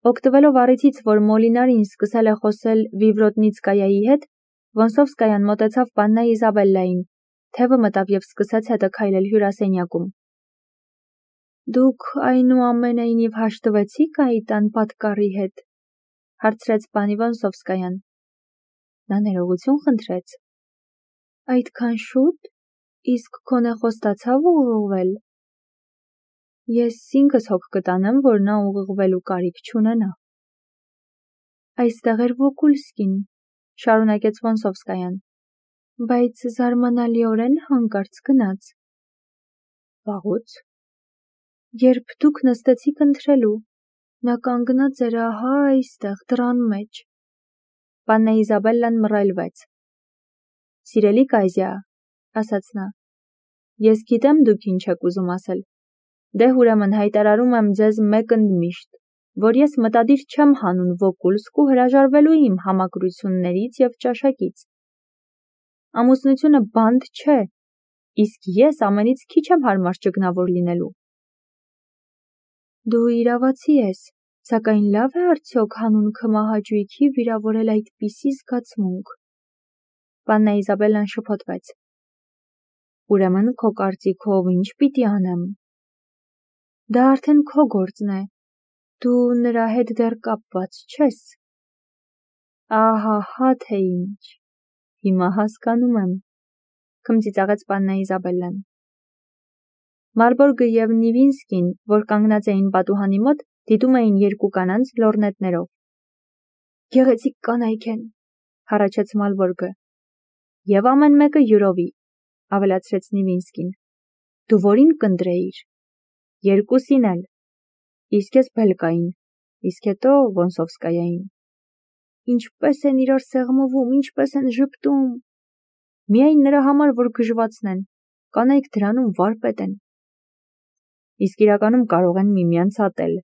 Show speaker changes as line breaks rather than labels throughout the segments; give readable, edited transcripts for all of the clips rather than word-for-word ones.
Օգտվելով առիթից, որ Մոլինարին սկսել է խոսել Վիվրոտնիցկայայի հետ, Վոնսովսկայան մոտեցավ պաննա Իզաբելլային, թևը մտավ և սկսեց հետը քայլել հյուրասենյակում։ Դուք այնուամենայնիվ հաշտվեցիք այդ անպատկառի հետ, հարցրեց պանի Վոնսովսկայան։ Նա ներողություն խնդրեց։ Այդքան շուտ, իսկ քո նեխոստացավ ուղղվել։ Ես ինքս հոգ կտանեմ, որ նա ուղղվելու կարիք չունենա։ Այստեղ էր Վոկուլսկին, շարունակեց Վոնսովսկայան, բայց զարմանալիորեն հանկարծ գնաց։ Վաղուց։ Երբ դուք նստեցիք ընթրելու, նա կանգնած էր ահա այստեղ դռան մեջ։ Պաննա Իզաբելլան մռայլվեց։ Սիրելի Կայզյա, ասաց նա, ես գիտեմ դուք ինչ եք ուզում ասել։ Դե ուրեմն հայտարարում եմ ձեզ մեկ ընդմիշտ, որ ես մտադիր չեմ հանուն Վոկուլսկ ու հրաժարվելու իմ համակրություններից և ճաշակից։ Ամուսնությունը բանտ չէ, իսկ ես ամենից քիչ եմ հարմար ճգնավոր լինելու։ Դու իրավացի ես, սակայն լավ է արդյոք հանուն քմահաճույքի վիրավորել այդպիսի զգացմունք։ Պաննա Իզաբելլան շփոթվեց։ Ուրեմն քո կարծիքով ինչ պիտի անեմ։ Դա արդեն քո գործն է, դու նրա հետ դեռ կապված չես։ Ահահա թե ինչ, հիմա հասկանում եմ, քմծիծաղեց պաննա Իզաբելլան։ Մալբորգը և Նիվինսկին, որ կանգնած էին պատուհանի մոտ, դիտում էին երկու կանանց լորնետներով։ Գեղեցիկ կանայք են, հառաչեց Մալբորգը։ Եվ ամեն մեկը յուրովի, ավելացրեց Նիվինսկին։ Դու որին կընտրեիր։ Երկուսին էլ։ Իսկ ես Բելկային, իսկ հետո Վոնսովսկայային։ Ինչպես են իրար սեղմվում, ինչպես են ժպտում։ Միայն նրա համար, որ գժվացնեն, կանայք դրանում վարպետ են։ Իսկ իրականում կարող են միմյանց ատել։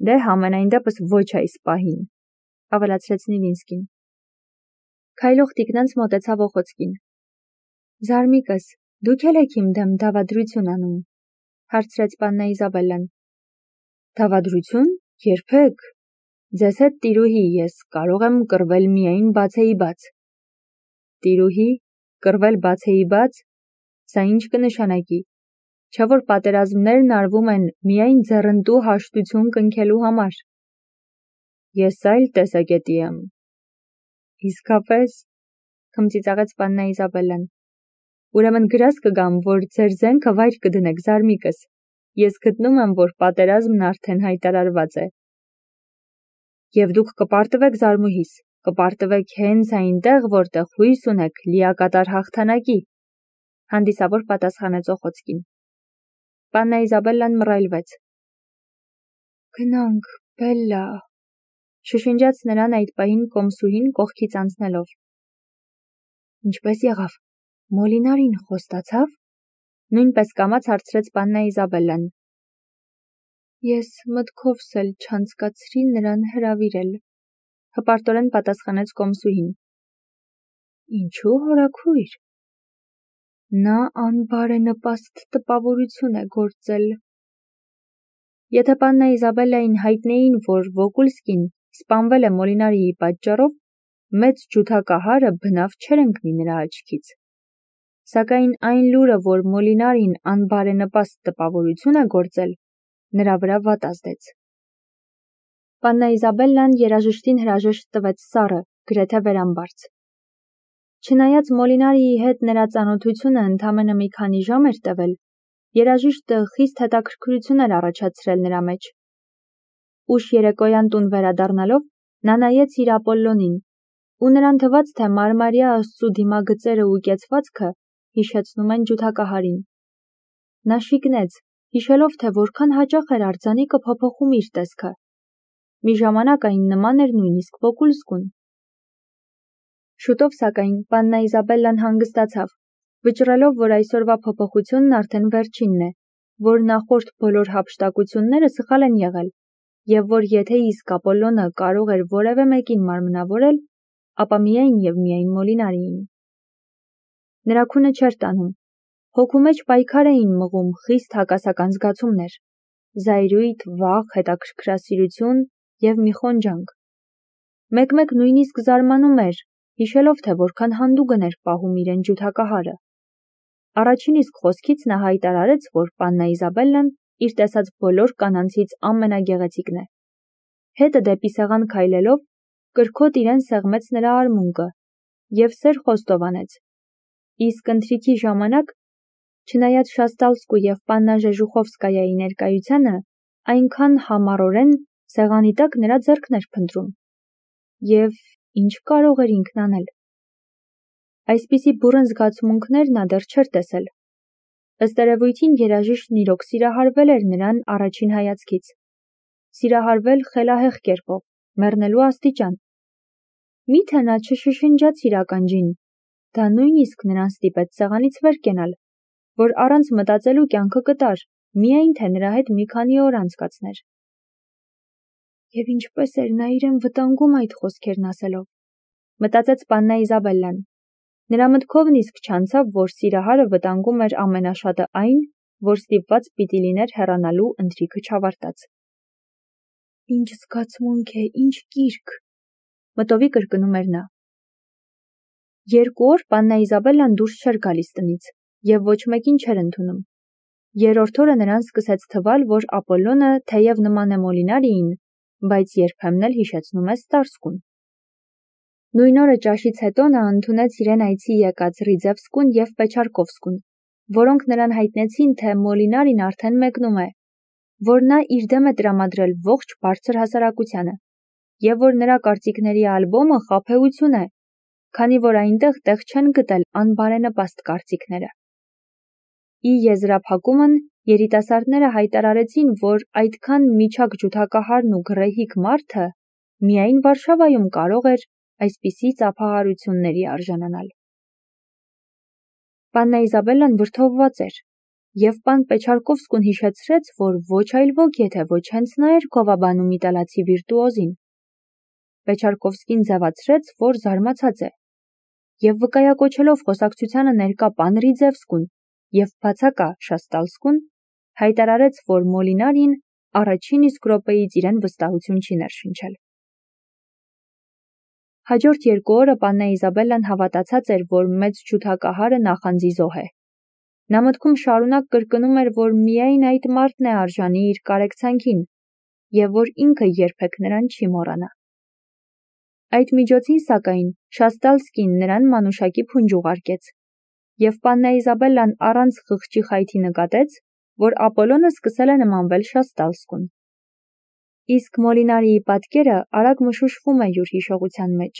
Դե համենայն դեպս ոչ այս պահին, ավելացրեց Նիվինսկին։ Քայլող տիկնանց մոտեցավ Օխոցկին։ Զարմիկս, դուք էլ եք իմ դեմ դավադրություն անում, հարցրեց պաննա Իզաբելլան։ Դավադրություն, երբեք։ Ձեզ հետ տիրուհի ես կարող եմ կռվել միայն բացեի բաց։ Տիրուհի, կռվել բացեի բաց, սա ինչ կնշանակի, չէ որ պատերազմներն արվում են միայն ձեռնտու հաշտություն կնքելու համար։ Ես այլ տեսակետի եմ։ Իսկապես, քմծիծաղեց պաննա Իզաբելլան։ Ուրեմն գրազ կգամ, որ ձեր զենքը վայր կդնեք, զարմիկս։ Ես գտնում եմ, որ պատերազմն արդեն հայտարարված է։ Եվ դուք կպարտվեք զարմուհիս, կպարտվեք հենց այնտեղ, որտեղ հույս ունեք լիակատար հաղթանակի, հանդիսավոր պատասխանեց Օխոցկին։ Պաննա Իզաբելլան մռայլվեց։ Գնանք, Բելլա, շշնջաց նրան այդ պահին կոմսուհին կողքից անցնելով։ Ինչպես եղավ, Մոլինարին խոստացավ։ Նույնպես կամաց հարցրեց պաննա Իզաբելլան։ Ես մտքովս էլ չանցկացրի նրան հրավիրել, հպարտորեն պատասխանեց կոմսուհին։ Ինչու հորաքույր։ Նա անբարենպաստ տպավորություն է գործել։ Եթե պաննա Իզաբելլային հայտնեին, որ Վոկուլսկին սպանվել է Մոլինարիի պատճառով, մեծ ջութակահարը բնավ չէր ընկնի նրա աչքից։ Սակայն այն լուրը, որ Մոլինարին անբարենպաստ տպավորություն է գործել, նրա վրա վատ ազդեց։ Պաննա Իզաբելլան երաժշտին հրաժեշտ տվեց սառը, գրեթե վերամբարձ։ Չնայած Մոլինարիի հետ նրա ծանոթությունը ընդամենը մի քանի ժամ էր տևել, երաժիշտը խիստ հետաքրքրություն էր առաջացրել նրա մեջ։ Ուշ երեկոյան տուն վերադառնալով, նա նայեց իր Ապոլլոնին, ու նրան թվաց, թե մարմարյա աստծու դիմագծերը ու կեցվածքը հիշեցնում են ջութակահարին։ Նա շիկնեց, հիշելով, թե որքան հաճախ էր արձանիկը փոփոխում իր տեսքը։ Մի ժամանակ այն նման էր նույնիսկ Վոկուլսկուն։ Շուտով, սակայն, պաննա Իզաբելլան հանգստացավ, վճռելով, որ այսօրվա փոփոխությունն արդեն վերջինն է, որ նախորդ բոլոր հափշտակությունները սխալ են եղել, և որ եթե իսկ Ապոլլոնը կարող էր որևէ մեկին մարմնավորել, ապա միայն և միայն Մոլինարիին։ Նրա քունը չէր տանում, հոգու մեջ պայքար էին մղում խիստ հակասական զգացումներ՝ զայրույթ, վախ, հետաքրքրասիրություն, և մի խոնջանք։ Մեկ-մեկ նույնիսկ զարմանում էր, հիշելով, թե որքան հանդուգն էր պահում իրեն ջութակահարը։ Առաջին իսկ խոսքից նա հայտարարեց, որ Պաննա Իզաբելլան իր տեսած բոլոր կանանցից ամենագեղեցիկն է։ Հետը դեպի սեղան քայլելով, կրքոտ իրեն սեղմեց նրա արմունկը և սեր խոստովանեց։ Իսկ ընթրիքի ժամանակ, չնայած Շաստալսկու և Պաննա Ժեժուխովսկայայի ներկայությանը, այնքան համառորեն սեղանի տակ նրա ձեռքն էր փնտրում։ Եվ ինչ կարող էր ինքն անել։ Այսպիսի բուռն զգացմունքներ նա դեռ չէր տեսել։ Ըստ երևույթին երաժիշտն իրոք սիրահարվել էր նրան առաջին հայացքից։ Սիրահարվել խելահեղ կերպով, մեռնելու աստիճան։ Միթե նա չշշնջաց իր ականջին, դա նույնիսկ նրան ստիպեց սեղանից վեր կենալ, որ առանց մտածելու կյանքը կտար, միայն թե նրա հետ մի քանի օր անցկացներ։ Եվ ինչպես էր նա իրեն վտանգում այդ խոսքերն ասելով, մտածեց Պաննա Իզաբելլան։ Նրա մտքով նիսկ չանցավ, որ սիրահարը վտանգում էր ամենաշատը այն, որ ստիպված պիտի լիներ հեռանալու ընթրիքը չավարտած։ Ինչ զգացմունք է, ինչ կիրք, մտովի կրկնում էր նա։ 2 օր Պաննա Իզաբելլան դուրս չէր գալիս տնից և ոչ մեկին չէր ընդունում։ Երրորդ օրը նրան սկսեց թվալ, որ Ապոլլոնը թեև նման է Մոլինարիին, բայց երբեմն էլ հիշեցնում է Ստարսկուն։ Նույն օրը ճաշից հետո նա ընդունեց իրեն այցի եկած Ռիձևսկուն և Պեչարկովսկուն, որոնք նրան հայտնեցին, թե Մոլինարին արդեն մեկնում է, որ նա իր դեմ է տրամադրել ողջ բարձր հասարակությանը, և որ նրա կարծիքների ալբոմը խաբեություն է, քանի որ այնտեղ տեղ չեն գտել անբարենպաստ կարծիքները։ Ի եզրափակումն երիտասարդները հայտարարեցին, որ այդքան միջակ ջութակահարն ու գռեհիկ մարդը միայն Վարշավայում կարող էր այսպիսի ծափահարությունների արժանանալ։ Պաննա Իզաբելլան վրդովված էր, և պան Պեչարկովսկուն հիշեցրեց, որ ոչ այլ ոք, եթե ոչ հենց նա էր գովաբանում իտալացի վիրտուոզին։ Պեչարկովսկին ձևացրեց, որ զարմացած է, և վկայակոչելով խոսակցությանը ներկա պան Ռիձևսկուն և բացակա Շաստալսկուն, հայտարարեց, որ Մոլինարին առաջին իսկ րոպեից իրեն վստահություն չի ներշնչել։ Հաջորդ 2 օրը Պաննա Իզաբելլան հավատացած էր, որ մեծ ջութակահարը նախանձի զոհ է։ Նա մտքում շարունակ կրկնում էր, որ միայն այդ մարդն է արժանի իր կարեկցանքին, և որ ինքը երբեք նրան չի մոռանա։ Այդ միջոցին, սակայն, Շաստալսկին նրան մանուշակի փունջ ուղարկեց, և Պաննա Իզաբելլան առանց խղճի խայթի նկատեց, որ Ապոլլոնը սկսել է նմանվել Շաստալսկուն։ Իսկ Մոլինարիի պատկերը արագ մշուշվում է յուր հիշողության մեջ։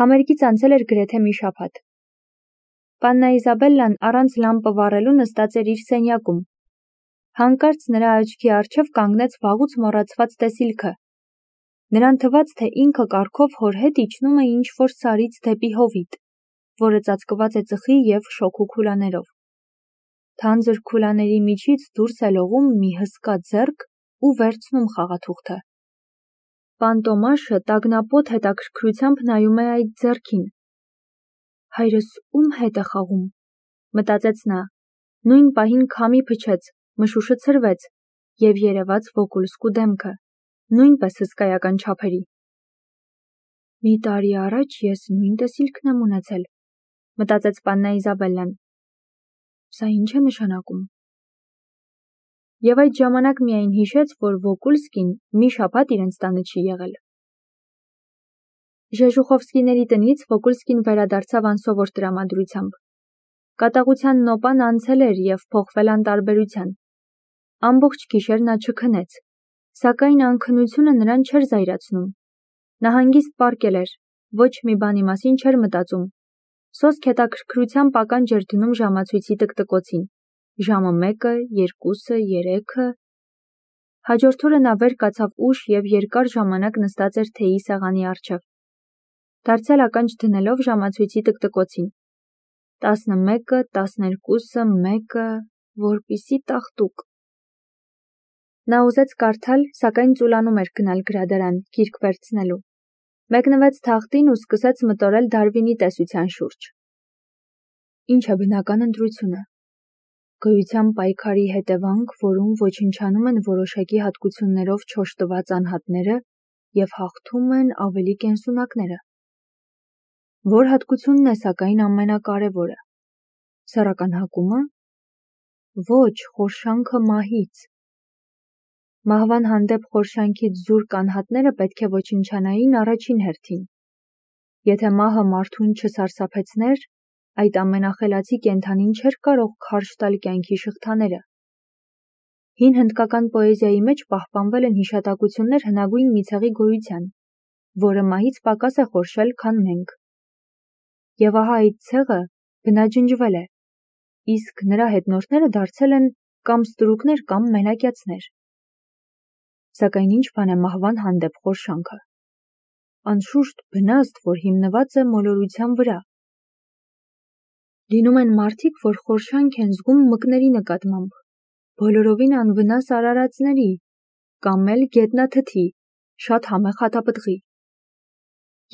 Համերգից անցել էր գրեթե մի շաբաթ։ Պաննա Իզաբելլան առանց լամպը վառելու նստած էր իր սենյակում։ Հանկարծ նրա աչքի առջև կանգնեց վաղուց մոռացված տեսիլքը։ Նրան թվաց, թե ինքը կառքով հոր հետ իջնում է ինչ-որ սարից դեպի հովիտ, որը ծածկված է ծխի և շոգու քուլաներով։ Թանձր քուլաների միջից դուրս է լողում մի հսկա ձեռք ու վերցնում խաղաթուղթը։ Պան Տոմաշը տագնապոտ հետաքրքրությամբ նայում է այդ ձեռքին։ Հայրս ում հետ է խաղում, մտածեց նա, նույն պահին քամի փչեց, մշուշը ցրվեց և երևաց Վոկուլսկու դեմքը, նույնպես հսկայական չափերի։ Մի տարի առաջ ես նույն տեսիլքն եմ ունեցել, մտածեց Պաննա Իզաբելլան։ Սա ինչ է նշանակում։ Եվ այդ ժամանակ միայն հիշեց, որ Վոկուլսկին մի շաբաթ իրենց տանը չի եղել։ Ժեժուխովսկիների տնից Վոկուլսկին վերադարձավ անսովոր տրամադրությամբ։ Կատաղության նոպան անցել էր և փոխվել անտարբերության։ Ամբողջ գիշեր նա չքնեց, սակայն անքնությունը նրան չէր զայրացնում։ Նա հանգիստ պառկել էր, ոչ մի բանի մասին չէր մտածում։ Սոսկ հետաքրքրությամբ ականջ էր դնում ժամացույցի տկտկոցին։ Ժամը 1-ը, 2-ը, 3-ը։ Հաջորդ օրը նա վեր կացավ ուշ և երկար ժամանակ նստած էր թեյի սեղանի առջև։ Դարձյալ ականջ դնելով ժամացույցի տկտկոցին։ 11-ը, 12-ը, 1-ը, որպիսի տաղտուկ։ Նա ուզեց կարդալ, սակայն ծուլանում էր գնալ գրադարան, գիրք վերցնելու։ Մեկնվեց թախտին ու սկսեց մտորել Դարվինի տեսության շուրջ։ Ինչ է բնական ընտրությունը։ Գոյության պայքարի հետևանք, որում ոչնչանում են որոշակի հատկություններով չօժտված անհատները և հաղթում են ավելի կենսունակները։ Որ հատկությունն է սակայն ամենակարևորը։ Սեռական հակումը։ Ոչ, խորշանքը մահից։ Մահվան հանդեպ խորշանքից զուրկ անհատները պետք է ոչնչանային առաջին հերթին։ Եթե մահը մարդուն չսարսափեցներ, այդ ամենախելացի կենդանին չէր կարող քարշ տալ կյանքի շղթաները։ Հին հնդկական պոեզիայի մեջ պահպանվել են հիշատակություններ հնագույն մի ցեղի գոյության, որը մահից պակաս է խորշել, քան մենք։ Եվ ահա այդ ցեղը բնաջնջվել է, իսկ նրա հետնորդները դարձել են կամ ստրուկներ կամ մենակյացներ։ Սակայն ինչ բան է մահվան հանդեպ խորշանքը։ Անշուշտ բնազդ, որ հիմնված է մոլորության վրա։ Լինում են մարդիկ, որ խորշանք են զգում մկների նկատմամբ, բոլորովին անվնաս արարածների, կամ էլ գետնաթթի, շատ համեղ հատապտղի։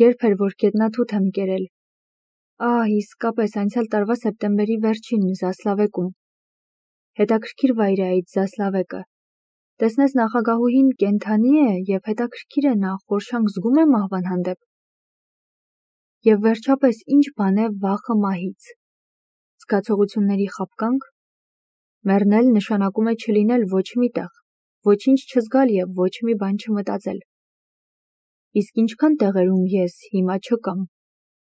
Երբ էր, որ գետնաթութ եմ կերել։ Իսկապես անցյալ տարվա սեպտեմբերի վերջին Զասլավեկում։ Հետաքրքիր վայր է այդ Զասլավեկը։ Տեսնես նախագահուհին կենդանի է և հետաքրքիր է նա խորշանք զգում է մահվան հանդեպ։ Եվ վերջապես ինչ բան է վախը մահից։ Զգացողությունների խաբկանք։ Մեռնել նշանակում է չլինել ոչ մի տեղ, ոչինչ չզգալ և ոչ մի բան չմտածել։ Իսկ ինչքան տեղերում ես հիմա չկամ։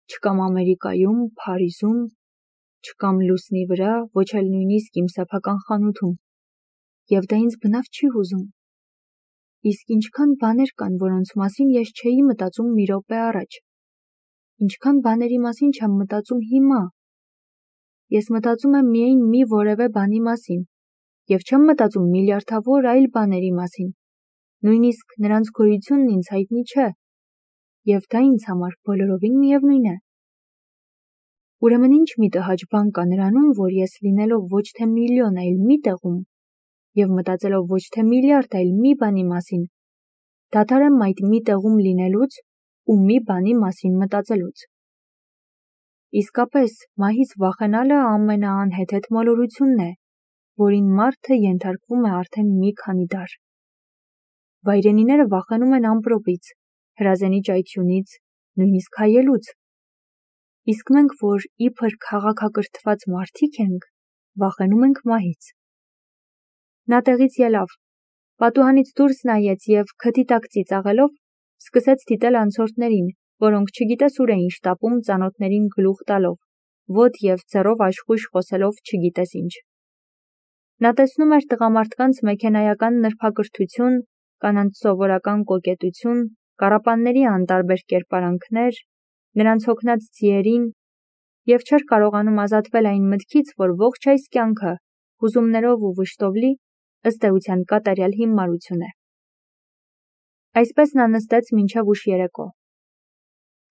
Չկամ Ամերիկայում, Փարիզում, չկամ լուսնի վրա, ոչ էլ նույնիսկ իմ սեփական խանութում։ Եվ դա ինձ բնավ չի հուզում։ Իսկ ինչքան բաներ կան, որոնց մասին ես չէի մտածում մի րոպե առաջ։ Ինչքան բաների մասին չեմ մտածում հիմա։ Ես մտածում եմ միայն մի որևէ բանի մասին, և չեմ մտածում միլիարդավոր այլ բաների մասին։ Նույնիսկ նրանց գոյությունն ինձ հայտնի չէ, և դա ինձ համար բոլորովին միևնույն է։ Ուրեմն ինչ մի տհաճ բան կա նրանում, որ ես լինելով ոչ թե միլիոն, այլ մի տեղում, և մտածելով ոչ թե միլիարդ, այլ մի բանի մասին, դադար եմ այդ մի տեղում լինելուց ու մի բանի մասին մտածելուց։ Իսկապես, մահից վախենալը ամենաանհեթեթ մոլորությունն է, որին մարդը ենթարկվում է արդեն մի քանի դար։ Վայրենիները վախենում են ամպրոպից, հրազենի ճայթյունից, նույնիսկ հայելուց։ Իսկ մենք, որ իբր քաղաքակրթված մարդիկ ենք, վախենում ենք մահից։ Նա տեղից ելավ, պատուհանից դուրս նայեց և քթի տակ ծիծաղելով սկսեց դիտել անցորդներին, որոնք չգիտես ուր էին շտապում ծանոթներին գլուխ տալով, ոտ և ձեռով աշխույժ խոսելով չգիտես ինչ։ Նա տեսնում էր տղամարդկանց մեքենայական նրբակրթություն, կանանց սովորական կոկետություն, կառապանների անտարբեր կերպարանքներ, նրանց հոգնած ձիերին, և չէր կարողանում ազատվել այն մտքից, որ ողջ այս կյանքը, հուզումներով ու վշտով լի, ըստ էության կատարյալ հիմարություն է։ Այսպես նա նստեց մինչև ուշ երեկո։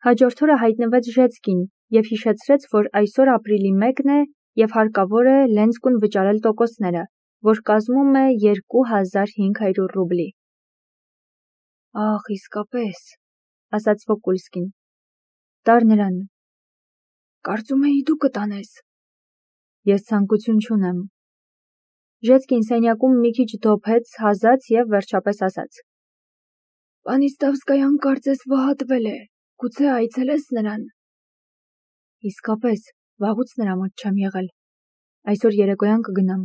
Հաջորդ օրը հայտնվեց Ժեցկին և հիշեցրեց, որ այսօր ապրիլի 1-ն է և հարկավոր է Լենսկուն վճարել տոկոսները, որ կազմում է 2500 ռուբլի։ Իսկապես, ասաց Վոկուլսկին։ Տար նրան։ Կարծում էի դու կտանես։ Ես ցանկություն չունեմ։ Ժեցկին սենյակում մի քիչ դոփեց, հազաց և վերջապես ասաց. Պանիստավսկայան կարծես վհատվել է, գուցե այցելես նրան։ Իսկապես, վաղուց նրա մոտ չեմ եղել։ Այսօր երեկոյան կգնամ։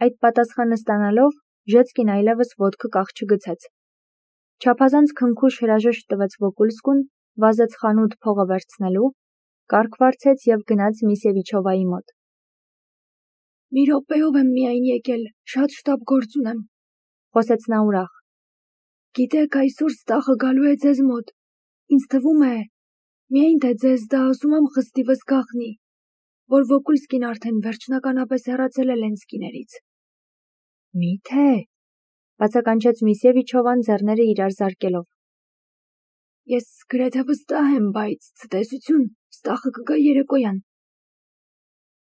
Այդ պատասխանը ստանալով, Ժեցկին այլևս ոտքը կաղ չգցեց։ Չափազանց քնքուշ հրաժեշտ տվեց Վոկուլսկուն, վազեց խանութ փողը վերցնելու, կառք վարձեց և գնաց Միսևիչովայի մոտ։ Մի րոպեով եմ միայն եկել, շատ շտապ գործ ունեմ, խոսեց նա ուրախ։ Գիտեք, այսօր Ստախը գալու է ձեզ մոտ։ Ինձ թվում է, միայն թե ձեզ դա ասում եմ խստիվս գաղտնի, որ Վոկուլսկին արդեն վերջնականապես հեռացել է Լենսկիներից։ Մի՞թե, բացականչեց Միսևիչովան ձեռները իրար զարկելով։ Ես գրեթե վստահ եմ, բայց ցտեսություն, Ստախը կգա երեկոյան։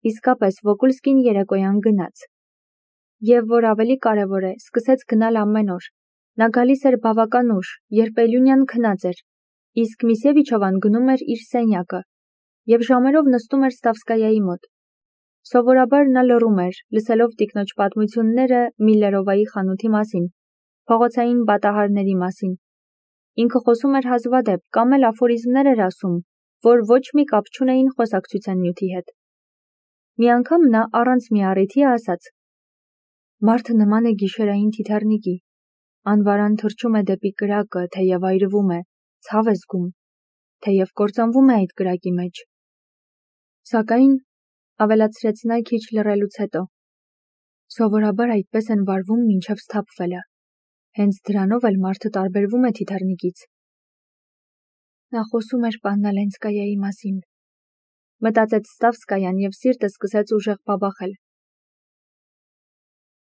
Իսկապես Վոկուլսկին երեկոյան գնաց։ Եվ որ ավելի կարևոր է, սկսեց գնալ ամեն օր։ Նա գալիս էր բավական ուշ, երբ Էլյունյան քնած էր, իսկ Միսևիչովան գնում էր իր սենյակը և ժամերով նստում էր Ստավսկայայի մոտ։ Սովորաբար նա լռում էր, լսելով տիկնոջ պատմությունները Միլլերովայի խանութի մասին, փողոցային պատահարների մասին։ Ինքը խոսում էր հազվադեպ կամ էլ աֆորիզմներ էր ասում, որ ոչ մի կապ չունեին խոսակցության նյութի հետ։ Մի անգամ նա առանց մի առիթի ասաց. «Մարդը նման է գիշերային թիթեռնիկի, անվարան թռչում է դեպի կրակը, թեև այրվում է, ցավ է զգում, թեև կործանվում է այդ կրակի մեջ։ Սակայն, ավելացրեց նա քիչ լռելուց հետո, սովորաբար այդպես են վարվում մինչև սթափվելը, հենց դրանով էլ մարդը տարբերվում է թիթեռնիկից»։ Նա խոսում էր Պաննա Լենսկայայի մասին, մտածեց Ստավսկայան և սիրտը սկսեց ուժեղ բաբախել։